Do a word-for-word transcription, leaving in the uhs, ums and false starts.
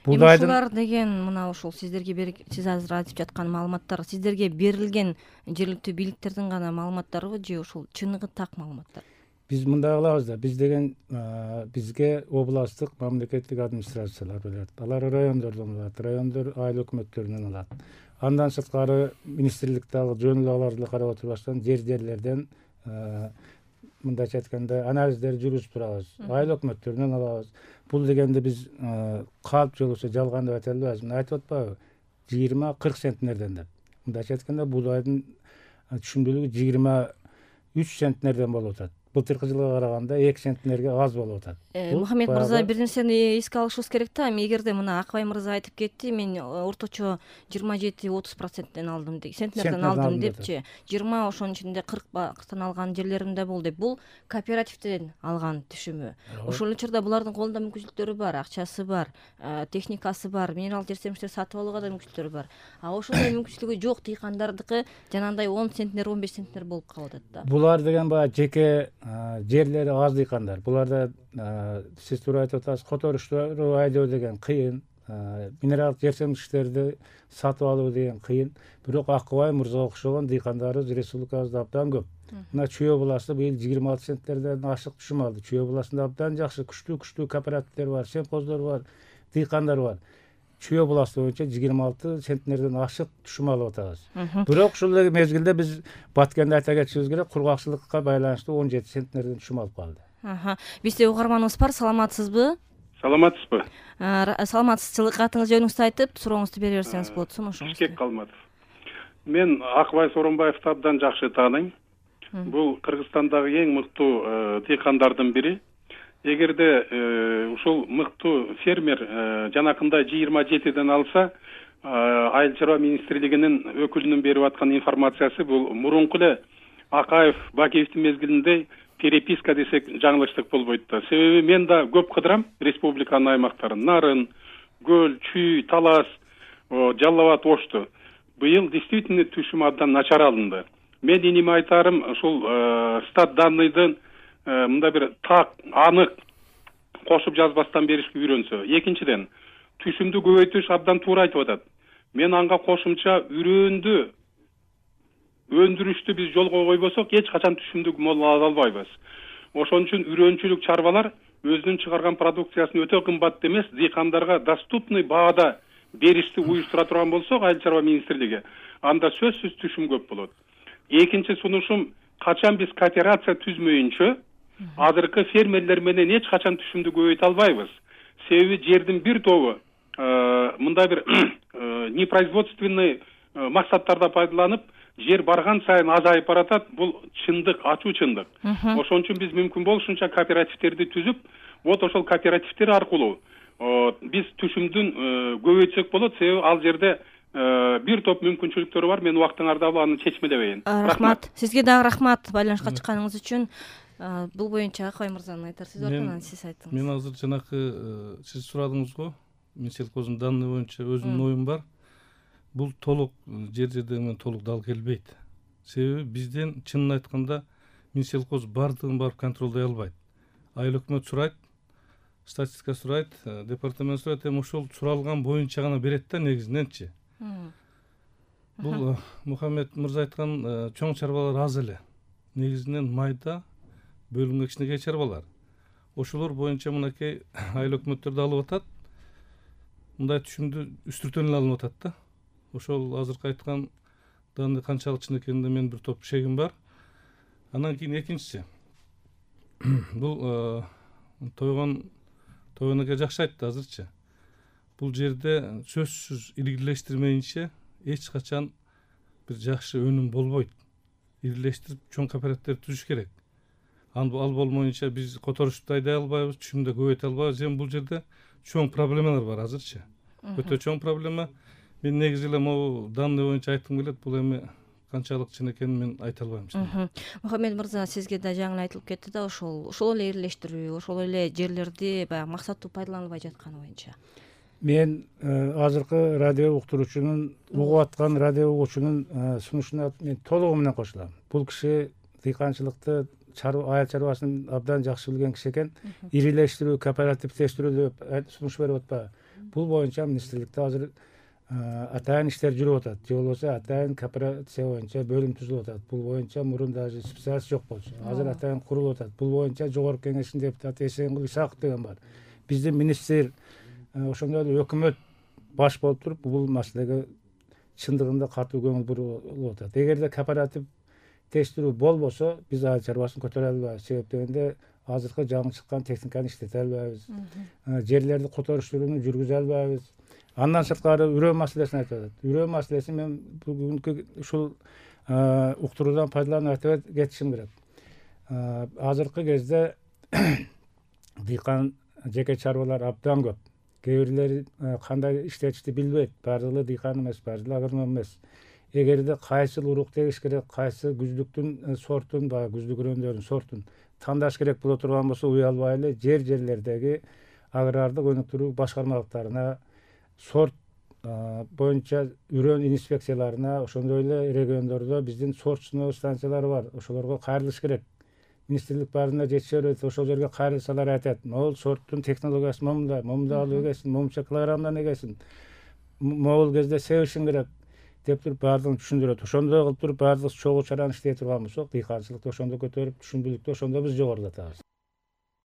ушулар деген мына ушул сиздерге берик сиз азыр айтып жаткан маалыматтар сиздерге берилген жергиликтүү бийликтердин гана маалыматтарыбы же ушул чыныгы так маалыматтар? Биз мындай кылабыз да, биз деген бизге областтык мамлекеттик администрациялар берет. Алар райондордон алат, райондор айыл өкмөттөрүнөн алат. Андан сырткары министрликтеги жөн эле аларды карап отурбастан жер жерлерден мындайча айтканда анализдер жүргүзүп турабыз. Айыл өкмөттөрүнөн алабыз. Бул дегенде биз калп жолусу жалган деп айта албайбыз. Мына айтып атпайбы? жыйырма кырк центнерден деп. Мындайча айтканда буудайдын түшүмдүүлүгү жыйырма үч центнерден болуп атат. Былтыркы жылга караганда эки центнерге аз болуп атат. Мухаммед мырза, бир нерсени эске алышыбыз керек да. Эгерде мына Акбай мырза айтып кетти, мен орточо жыйырма жети отуз проценттен алдым деп, центнерден алдым депчи. жыйырма ошонун ичинде кырктан алган жерлерим да болду деп. Бул кооперативден алган түшүмү. Ошол учурда булардын колунда мүмкүнчүлүктөрү бар, акчасы бар, техникасы бар, минерал жерсемиштер сатып алууга да мүмкүнчүлүктөрү бар. А ошондой мүмкүнчүлүгү жок дыйкандардыкы жанагындай он центнер, он беш центнер болуп калып атат да. Булар деген баягы жеке жерлери аз дыйкандар. Буларда сиз туура айтып атасыз, которушту айдоо деген кыйын, минералдык жерсемиштерди сатып алуу деген кыйын. Бирок Акбай мырзага окшогон дыйкандарыбыз республикабызда абдан көп. Мына Чүй областы быйыл жыйырма алты центнерден ашык түшүм алды. Чүй областында абдан жакшы, күчтүү-күчтүү кооперативдер бар, семхоздор бар, дыйкандар бар. Чүй областы боюнча жыйырма алты центнерден ашык түшүм алып атабыз. Бирок ушул мезгилде биз Баткенде айта кетишибиз керек, кургакчылыкка байланыштуу он жети центнерден түшүм алып калды. Бизде угарманыбыз бар, саламатсызбы? Саламатсызбы? Саламатсыз, атыңыз жөнүңүздү айтып, сурооңузду бере берсеңиз болот, сунушуңузду. Бишкек Калматов. Мен Акбай Сооронбаевди абдан жакшы тааныйм. Бул Кыргызстандагы эң мыктуу дыйкандардын бири. Эгерде ушул мыктуу фермер жанакында жыйырма жетиден алса, Айыл чарба министрлигинин өкүлүнүн берип аткан информациясы бул мурунку эле Акаев Бакиевдин мезгилинде переписка десек жаңылыштык болбойт да. Себеби мен да көп кыдырам республиканын аймактарын, Нарын, Көл, Чүй, Талас, Жалал Абад, Ошту. Быйыл действительно түшүм абдан начар алынды. Мен иниме айтарым, ушул стат данныйдын мында бир так, анык кошуп жазбастан беришке үйрөнсө. Экинчиден, түшүмдү көбөйтүш абдан туура айтып атат. Мен анга кошумча үрөндү өндүрүштү биз жолго койбосок, эч качан түшүмдү мол ала албайбыз. Ошон үчүн үрөнчүлүк чарбалар өзүнүн чыгарган продукциясын өтө кымбат эмес, дыйкандарга доступный баада беришти уюштура турган болсок, Айыл чарба министрлиги, анда сөзсүз түшүм көп болот. Экинчи сунушум, качан биз кооперация түзмөйүнчө, азыркы фермерлер менен эч качан түшүмдү көбөйтө албайбыз. Себеби жердин бир тобу мындай бир непроизводственный максаттарда пайдаланып, жер барган сайын азайып баратат. Бул чындык, ачуу чындык. Ошон үчүн биз мүмкүн болушунча кооперативдерди түзүп, вот ошол кооперативдер аркылуу биз түшүмдүн көбөйтсөк болот. Себеби ал жерде бир топ мүмкүнчүлүктөр бар. Мен убактың ардабы аны чечмелебейин. Рахмат. Сизге дагы рахмат байланышка чыкканыңыз үчүн. Бул боюнча Акбай мырзанын айтар сөзү бар, анан сиз айтыңыз. Мен азыр жанакы сиз сурадыңыз го, мен селкоздун данный боюнча өзүмдүн оюм бар. Бул толук жер жерден менен толук дал келбейт. Себеби бизден чынын айтканда Минселхоз бардыгын барып контролдой албайт. Айыл өкмөт сурайт, статистика сурайт, департамент сурайт, эми ошол суралган боюнча гана берет да негизиненчи. Бул Мухаммед мырза айткан чоң чарбалар аз эле. Негизинен майда бөлүнгөн кичинекей чарбалар. Ошолор боюнча мынакей айыл өкмөттөрдү алып атат. Мындай түшүмдү үстүртөн эле алынып атат да. Ошол азыркы айткан данный канчалык чын экенинде мен бир топ шегим бар. Андан кийин экинчиси. Бул тойгон тойгонге жакшы айтты азырчы. Бул жерде сөзсүз илгирлештирмейинче эч качан бир жакшы өнүм болбойт. Ирилештирип чоң кооперативдер түзүш керек. Ал болмоюнча биз которушту айдай албайбыз, түшүмдү көбөйтө албайбыз. Эми бул жерде чоң проблемалар бар азырчы. Өтө чоң проблема. Мен негизи эле могу данный боюнча айткым келет. Бул эми канчалык чын экенин мен айта албайм. Мухаммед мырза, сизге да жаңы айтылып кетти да, ошол ошол эле ирилештирүү, ошол эле жерлерди баягы максаттуу пайдаланылбай жатканы боюнча. Мен азыркы радио уктуруучунун, угуп аткан радио угуучунун сунушуна мен толугу менен кошулам. Бул киши дыйканчылыкты, айыл чарбасын абдан жакшы билген киши экен. Ирилештирүү, кооперативдештирүү деп сунуш берип атпайбы. Бул боюнча министрликте азыр атайын иштер жүрүп атат, же болбосо атайын кооперация боюнча бөлүм түзүлүп атат. Бул боюнча мурун даже специалист жок болчу, азыр атайын курулуп атат. Бул боюнча жогорку кеңештин депутаты Эсенгул Исаков деген бар. Биздин министр ошондой эле өкмөт баш болуп туруп бул маселеге чындыгында катуу көңүл буруп атат. Эгерде кооператив тештирүү болбосо, биз айыл чарбасын көтөрө албайбыз. Себеп дегенде азыркы жаңы чыккан техниканы иштете албайбыз. Жерлерди которуштурууну жүргүзө албайбыз. Андан сырткары үрөө маселесин айтып атат. Үрөө маселесин мен бүгүнкү ушул уктуруудан пайдаланып айтып кетишим керек. Азыркы кезде дыйкан жеке чарбалар абдан көп. Кээ бирлери кандай иштетишти билбейт. Баардыгы дыйкан эмес, баардыгы агроном эмес. Эгерде кайсыл урук тегиш керек, кайсы күздүктүн сортун, баягы күздүк өрөөндөрдүн сортун тандаш керек боло турган болсо, уялбай эле жер жерлердеги агрардык өнүктүрүү башкармалыктарына, сорт боюнча үрөө инспекцияларына, ошондой эле региондордо биздин сортчуноо станциялары бар. Ошолорго кайрылыш керек. Министрлик баарына жетише берет, ошол жерге кайрылсалар айтат, могул сорттун технологиясы момундай, момундай алып эгесин, момунча килограммдан эгесин, могул кезде себишин керек деп туруп баардыгын түшүндүрөт. Ошондой кылып туруп баардык чогуу чараны иштей турган болсок, дыйканчылыкты ошондо көтөрүп, түшүмдүүлүктү ошондо биз жогорулатабыз.